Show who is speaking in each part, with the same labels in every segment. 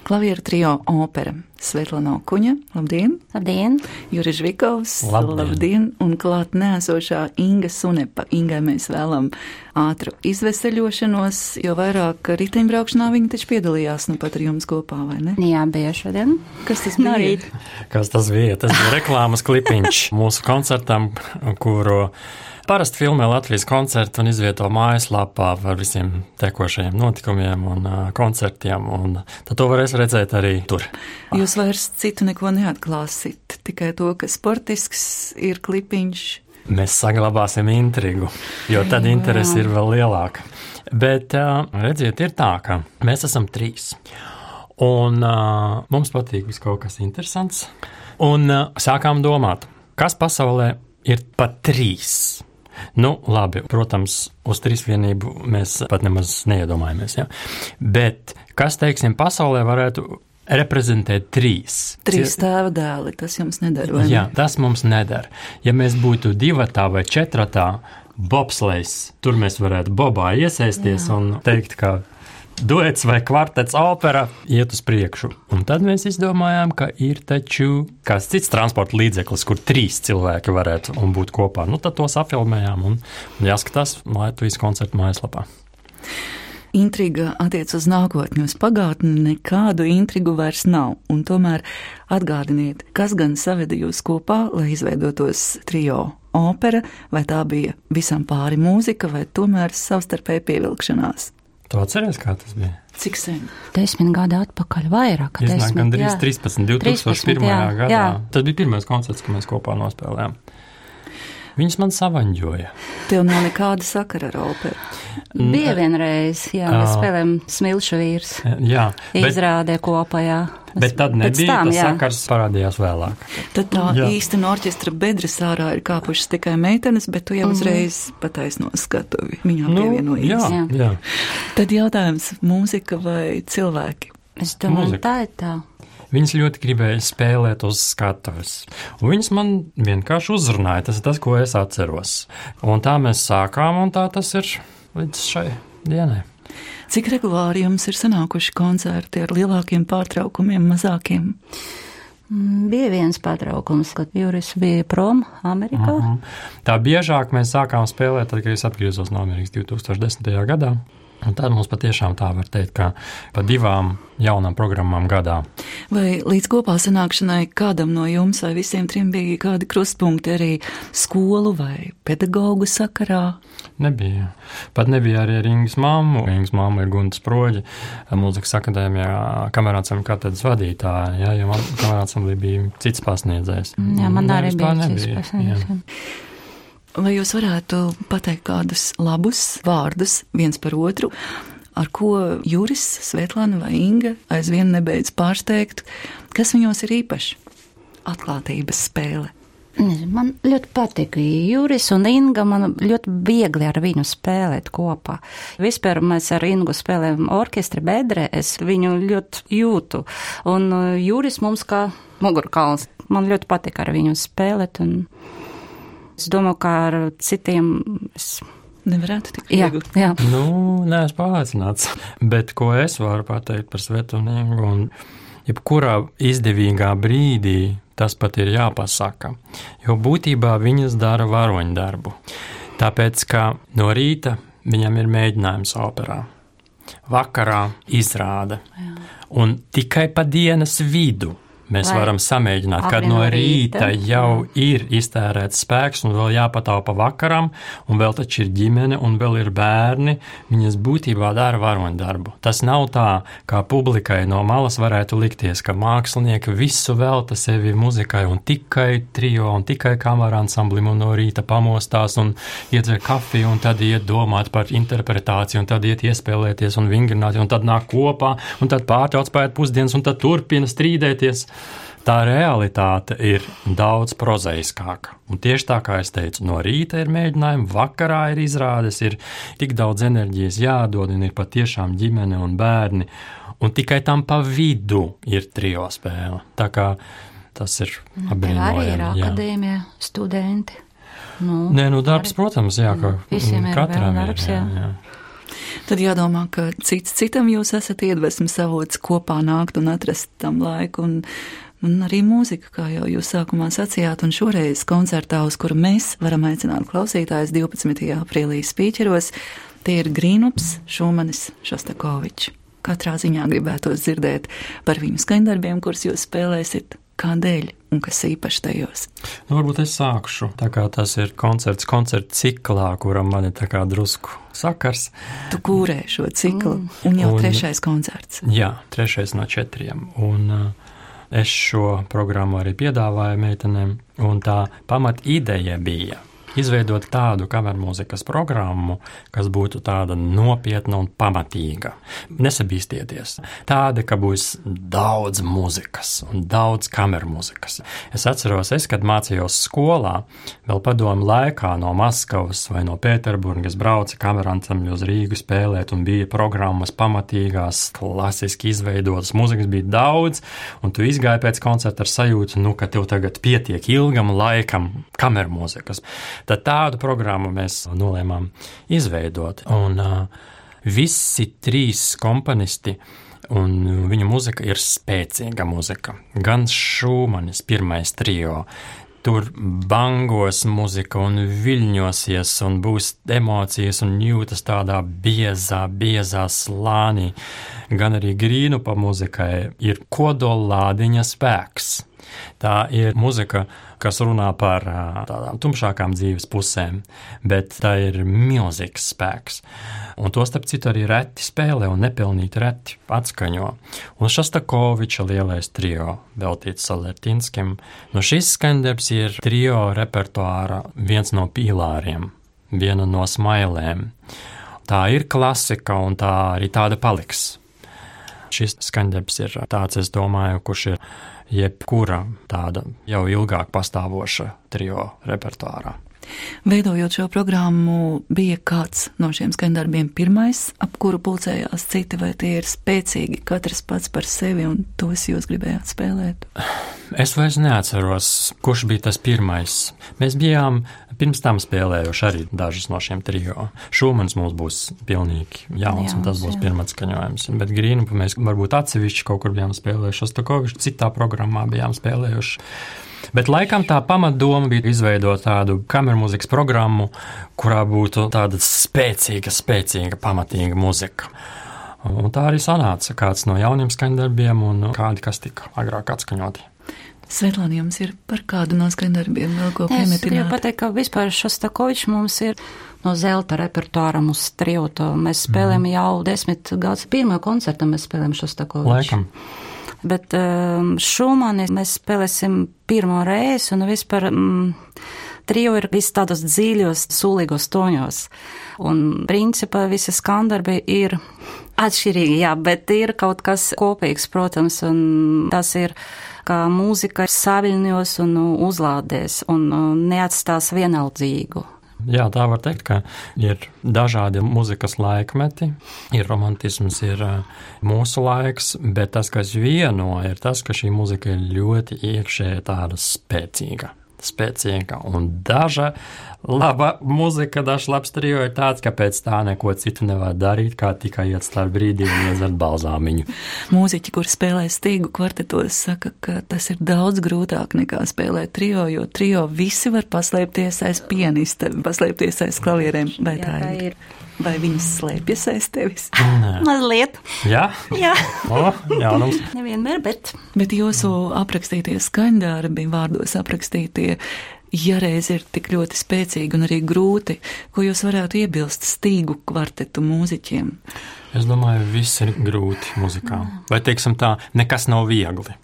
Speaker 1: Klavieru trio opera Svetlana Okuņa, labdien!
Speaker 2: Labdien!
Speaker 1: Juris Žvikovs,
Speaker 3: labdien!
Speaker 1: Un klāt nēsošā Inga Sunepa. Ingai mēs vēlam ātru izveseļošanos, jo vairāk riteņbraukšanā viņa taču piedalījās nu pat ar jums kopā, vai ne?
Speaker 2: Jā, bija šodien.
Speaker 1: Kas tas bija?
Speaker 3: Kas tas bija? Tas bija reklāmas klipiņš mūsu koncertam, kuru parasti filmē Latvijas koncertu un izvieto mājaslapā par visiem tekošajiem notikumiem un koncertiem, un tad to varēs redzēt arī tur.
Speaker 1: Jūs vairs citu neko neatklāsit, tikai to, ka sportisks ir klipiņš.
Speaker 3: Mēs saglabāsim intrigu, jo tad interesi ir vēl lielāka. Bet, redziet, ir tā, ka mēs esam 3, un mums patīk viss kaut kas interesants, un sākām domāt, kas pasaulē ir pat 3. Nu, labi, protams, uz 3 vienību mēs pat nemaz neiedomājamies, ja? Bet kas, teiksim, pasaulē varētu reprezentēt 3?
Speaker 1: 3 tēva dēli, tas jums nedara, vai ne?
Speaker 3: Jā, tas mums nedara. Ja mēs būtu 2 vai 4, bobslejs, tur mēs varētu bobā iesaisties un teikt, ka duets vai kvartets opera iet uz priekšu. Un tad mēs izdomājām, ka ir taču kāds cits transporta līdzeklis, kur 3 cilvēki varētu un būt kopā. Nu, tad to safilmējām un jāskatās Latvijas koncertu mājaslapā.
Speaker 1: Intriga attiec uz nākotni, uz pagātni, nekādu intrigu vairs nav. Un tomēr atgādiniet, kas gan saveda jūs kopā, lai izveidotos trio opera, vai tā bija visam pāri mūzika, vai tomēr savstarpēji pievilkšanās?
Speaker 3: Tu atceries, kā tas bija?
Speaker 1: Cik sen?
Speaker 2: 10 gadu atpakaļ, vairāk.
Speaker 3: Gandrīz 2001. gadā.
Speaker 2: Jā.
Speaker 3: Tas bija pirmais koncerts, ko mēs kopā nospēlējām. Viņas man savaņģoja.
Speaker 1: Tev nav nekāda sakara ar operu?
Speaker 2: Bija vienreiz, jā, mēs spēlējām Smilšu vīrs.
Speaker 3: Jā.
Speaker 2: Izrādē kopā, jā.
Speaker 3: Bet tad nebija, tas sakars parādījās vēlāk.
Speaker 1: Tad tā īsti no orķestra bedres ārā ir kāpušas tikai meitenes, bet tu jau uzreiz pataisno skatuvi. Viņām pievienojies.
Speaker 3: Jā.
Speaker 1: Tad jautājums, mūzika vai cilvēki?
Speaker 2: Es domāju, tā ir tā.
Speaker 3: Viņas ļoti gribēja spēlēt uz skatuves. Un viņas man vienkārši uzrunāja. Tas ir tas, ko es atceros. Un tā mēs sākām, un tā tas ir līdz šai dienai.
Speaker 1: Cik regulāri jums ir sanākuši koncerti ar lielākiem pārtraukumiem, mazākiem?
Speaker 2: Bija viens pārtraukums, kad Juris bija prom Amerikā.
Speaker 3: Tā biežāk mēs sākām spēlēt, tad, kad es atgriezos no Amerikas 2010. gadā. Un tad mums patiešām tā var teikt, ka pa 2 jaunām programmām gadā.
Speaker 1: Vai līdz kopā sanākšanai kādam no jums vai visiem 3 bija kādi krustpunkti arī skolu vai pedagogu sakarā?
Speaker 3: Nebija. Pat nebija arī ar Ingas mammu. Ingas mamma ir Gunta Sproģa, mūzikas akadēmijā kamerānsamblī katedras vadītāja, jo man kamerānsamblī bija cits pasniedzējs.
Speaker 2: Jā, man arī bija cits pasniedzējs.
Speaker 1: Vai jūs varētu pateikt kādus labus vārdus viens par otru, ar ko Juris, Svetlana vai Inga aizvien nebeidz pārsteigt, kas viņos ir īpaši? Atklātības spēle.
Speaker 2: Man ļoti patika Juris un Inga, man ļoti viegli ar viņu spēlēt kopā. Vispār mēs ar Ingu spēlējam orķestra bedrē, es viņu ļoti jūtu. Un Juris mums kā mugurkauls. Man ļoti patika ar viņu spēlēt un es domāju, ka ar citiem es
Speaker 1: nevarētu tik viegli.
Speaker 2: Jā.
Speaker 3: Nu, neesmu pārliecināts. Bet ko es varu pateikt par Svetlanu Ingu, un jebkurā izdevīgā brīdī tas pat ir jāpasaka. Jo būtībā viņas dara varoņdarbu. Tāpēc, ka no rīta viņam ir mēģinājums operā. Vakarā izrāda. Jā. Un tikai pa dienas vidu mēs varam samēģināt, kad no rīta jau ir iztērēts spēks un vēl jāpataupa vakaram, un vēl taču ir ģimene un vēl ir bērni. Viņas būtībā dara varoņdarbu. Tas nav tā, kā publikai no malas varētu likties, ka mākslinieki visu velta sevi muzikai un tikai trio un tikai kamerānsamblim un no rīta pamostās un iedzer kafiju un tad iet domāt par interpretāciju un tad iet iespēlēties un vingrināt un tad nāk kopā un tad pārtrauc pēc pusdienas un tad turpina strīdēties. Tā realitāte ir daudz prozaiskāka. Un tieši tā, kā es teicu, no rīta ir mēģinājumi, vakarā ir izrādes, ir tik daudz enerģijas jādod un ir patiešām ģimene un bērni. Un tikai tam pa vidu ir trio spēle. Tā kā tas ir apbrīnojami.
Speaker 2: Arī ir akadēmija, studenti.
Speaker 3: Nē, darbs, protams, jā, ka
Speaker 2: visiem ir
Speaker 3: katram
Speaker 2: darbs, jā.
Speaker 1: Tad jādomā, ka cits citam jūs esat iedvesmas avots kopā nākt un atrast tam laiku, un arī mūzika, kā jau jūs sākumā sacījāt, un šoreiz koncertā, uz kuru mēs varam aicināt klausītājus 12. aprīlī Spīķeros, tie ir Grīnups, Šumanis, Šostakovičs. Katrā ziņā gribētos dzirdēt par viņu skaņdarbiem, kurus jūs spēlēsiet, kādēļ un kas īpaši tajos.
Speaker 3: Varbūt es sākšu, tā kā tas ir koncerts ciklā, kuram man ir tā kā drusku sakars.
Speaker 1: Tu kūrē šo ciklu, un jau 3. koncerts.
Speaker 3: Jā, 3. no 4. Un es šo programmu arī piedāvāju meitenēm, un tā pamat ideja bija izveidot tādu kamermūzikas programmu, kas būtu tāda nopietna un pamatīga. Nesabīstieties. Tāda, ka būs daudz mūzikas un daudz kamermūzikas. Es atceros, kad mācījos skolā, vēl padomu laikā no Maskavas vai no Pēterburgas brauca kamerantami uz Rīgu spēlēt, un bija programmas pamatīgās, klasiski izveidotas, mūzikas bija daudz, un tu izgāji pēc koncerta ar sajūtu, ka tev tagad pietiek ilgam laikam kamermūzikas. Tad tādu programmu mēs nolēmām izveidot, un visi 3 komponisti un viņa mūzika ir spēcīga mūzika. Gan Šumanis, pirmais trio, tur bangos mūzika un viļņosies un būs emocijas un jūtas tādā biezā slānī. Gan arī Grīnupa mūzikai ir kodolādiņa spēks. Tā ir mūzika, kas runā par tādām tumšākām dzīves pusēm, bet tā ir milzīgs spēks. Un to starp citu arī reti spēlē un nepelnīti reti atskaņo. Un Šostakoviča lielais trio veltīts Salertinskim. Šis skaņdarbs ir trio repertuāra viens no pīlāriem, viena no smailēm. Tā ir klasika un tā arī tāda paliks. Šis skaņdarbs ir tāds, es domāju, kurš ir jebkura tāda jau ilgāk pastāvoša trio repertuārā.
Speaker 1: Veidojot šo programmu, bija kāds no šiem skaņdarbiem pirmais, ap kuru pulcējās citi, vai tie ir spēcīgi, katrs pats par sevi, un tos jūs gribējāt spēlēt?
Speaker 3: Es vairs neatceros, kurš bija tas pirmais. Mēs bijām pirms tam spēlējuši arī dažus no šiem trio. Šumans mums būs pilnīgi jauns, un tas būs pirmatskaņojums. Bet Grīnupu mēs varbūt atsevišķi kaut kur bijām spēlējuši, Šostakoviču citā programmā bijām spēlējuši. Bet laikam tā pamatdoma bija izveidot tādu kamermūzikas programmu, kurā būtu tāda spēcīga, pamatīga mūzika. Un tā arī sanāca kāds no jauniem skaņdarbiem un kādi, kas tika agrāk atskaņoti.
Speaker 1: Svetlāna, jums ir par kādu no skaņdarbiem vēl ko piemetināt?
Speaker 2: Es gribu pateikt, ka vispār Šostakovičs mums ir no zelta repertuāra uz triotu. Mēs spēlējam jau 10 gadus. Pirmā koncerta mēs spēlējam Šostakoviču.
Speaker 3: Laikam.
Speaker 2: Bet Šumani mēs spēlēsim pirmo reizi, un vispār trio ir viss tādos dziļos, sūlīgos toņos. Un principā visi skandarbi ir atšķirīgi, jā, bet ir kaut kas kopīgs, protams, un tas ir, ka mūzika saviļņos un uzlādēs un neatstās vienaldzīgu.
Speaker 3: Jā, tā var teikt, ka ir dažādi mūzikas laikmeti, ir romantisms, ir mūsu laiks, bet tas, kas vieno, ir tas, ka šī mūzika ir ļoti iekšēji tāda spēcīga, un daža laba mūzika, dažs labs trio ir tāds, ka pēc tā neko citu nevar darīt, kā tikai iet starp brīdī un iedzert balzāmiņu.
Speaker 1: Mūziķi, kur spēlē stīgu kvartetos, saka, ka tas ir daudz grūtāk nekā spēlēt trio, jo trio visi var paslēpties aiz pianista, paslēpties aiz klavierēm, vai tā ir? Vai viņas slēpjas aiz tevis?
Speaker 2: Mazliet.
Speaker 3: Jā?
Speaker 2: Jā.
Speaker 3: Jaunums.
Speaker 2: Nevienmēr, bet.
Speaker 1: Bet jūsu aprakstītie skaņdarbi, vārdos aprakstītie, ja reiz ir tik ļoti spēcīgi un arī grūti, ko jūs varētu iebilst stīgu kvartetu mūziķiem?
Speaker 3: Es domāju, viss ir grūti muzikā. Vai teiksim tā, nekas nav viegli.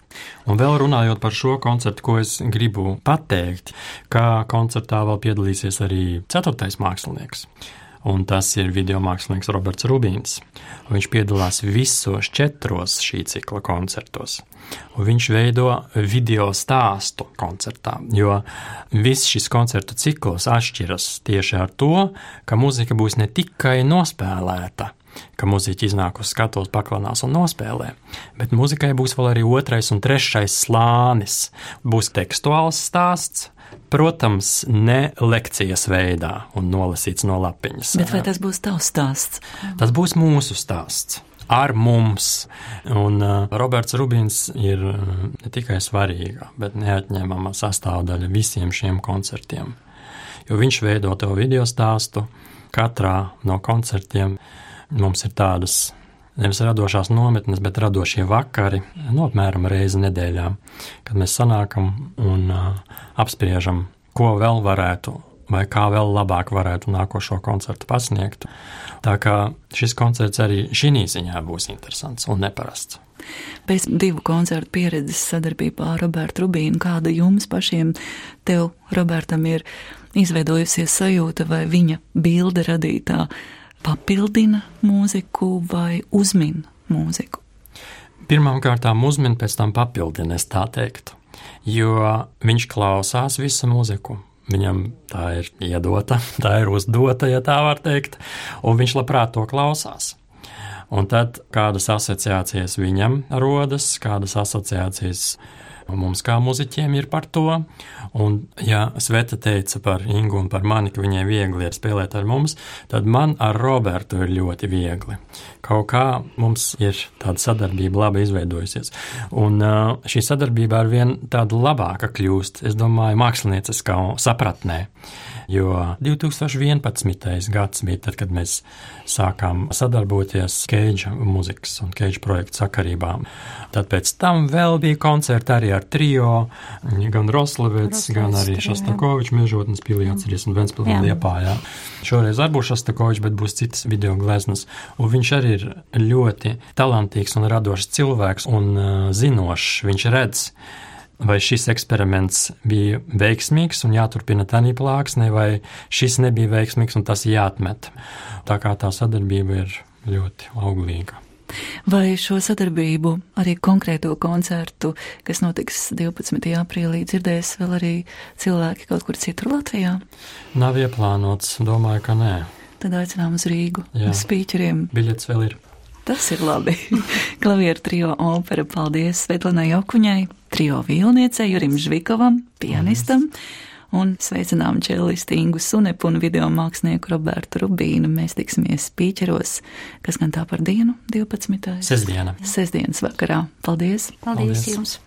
Speaker 3: Un vēl runājot par šo koncertu, ko es gribu pateikt, ka koncertā vēl piedalīsies arī 4. mākslinieks. Un tas ir videomākslinieks Roberts Rubīns. Viņš piedalās visos 4 šī cikla koncertos. Un viņš veido video stāstu koncertā, jo viss šis koncertu cikls atšķiras tieši ar to, ka muzika būs ne tikai nospēlēta, ka muziķi iznāk uz skatuves, paklanās un nospēlē, bet muzikai būs vēl arī 2. un 3. slānis. Būs tekstuāls stāsts, Protams, ne lekcijas veidā un nolasīts no lapiņas.
Speaker 1: Bet vai tas būs tavs stāsts?
Speaker 3: Tas būs mūsu stāsts. Ar mums. Un Roberts Rubīns ir ne tikai svarīga, bet neatņemama sastāvdaļa visiem šiem koncertiem. Jo viņš veido to video stāstu. Katrā no koncertiem mums ir tādas nevis radošās nometnes, bet radošie vakari, apmēram reizi nedēļā, kad mēs sanākam un apspriežam, ko vēl varētu vai kā vēl labāk varētu nākošo koncertu pasniegt. Tā kā šis koncerts arī šī ziņā būs interesants un neparasts.
Speaker 1: Pēc 2 koncertu pieredzes sadarbībā ar Robertu Rubīnu, kāda jums pašiem, tev, Robertam, ir izveidojusies sajūta, vai viņa bilde radītā papildina mūziku vai uzmin mūziku?
Speaker 3: Pirmām kārtām uzmin, pēc tam papildina, es tā teiktu, jo viņš klausās visu mūziku. Viņam tā ir iedota, tā ir uzdota, ja tā var teikt, un viņš labprāt to klausās. Un tad kādas asociācijas viņam rodas, kādas asociācijas mums kā muziķiem ir par to. Un ja Sveta teica par Ingu un par mani, ka viņai viegli ir spēlēt ar mums, tad man ar Robertu ir ļoti viegli. Kaut kā mums ir tāda sadarbība labi izveidojusies. Un šī sadarbība arvien tāda labāka kļūst, es domāju, mākslinieciskā sapratnē. Jo 2011. gads bija tad, kad mēs sākām sadarboties Keidža muzikas un Keidža projekta sakarībā. Tad pēc tam vēl bija koncerti arī ar trio, gan Roslavets, gan arī Šostakovičs Mežotnes pilī atceries un Ventspilī Liepājā. Šoreiz arī būs Šostakovičs, bet būs citas video gleznas. Un viņš arī ir ļoti talantīgs un radošs cilvēks un zinošs. Viņš redz, vai šis eksperiments bija veiksmīgs un jāturpina tādā plāksnē, vai šis nebija veiksmīgs un tas jāatmet. Tā kā tā sadarbība ir ļoti auglīga.
Speaker 1: Vai šo sadarbību, arī konkrēto koncertu, kas notiks 12. aprīlī, dzirdēs vēl arī cilvēki kaut kur citur Latvijā?
Speaker 3: Nav ieplānots, domāju, ka nē.
Speaker 1: Tad aicinām uz Rīgu, uz spīķeriem.
Speaker 3: Biļets vēl ir.
Speaker 1: Tas ir labi. Klavieru trio opera, paldies Svetlanai Okuņai, trio vīlniecei Jurim Žvikovam, pianistam, un sveicinām čelisti Ingu Sunepu un video mākslinieku Robertu Rubīnu. Mēs tiksimies Pīķeros, kas gan tā par dienu, 12.
Speaker 3: Sestdiena.
Speaker 1: Sestdienas vakarā. Paldies!
Speaker 2: Paldies jums!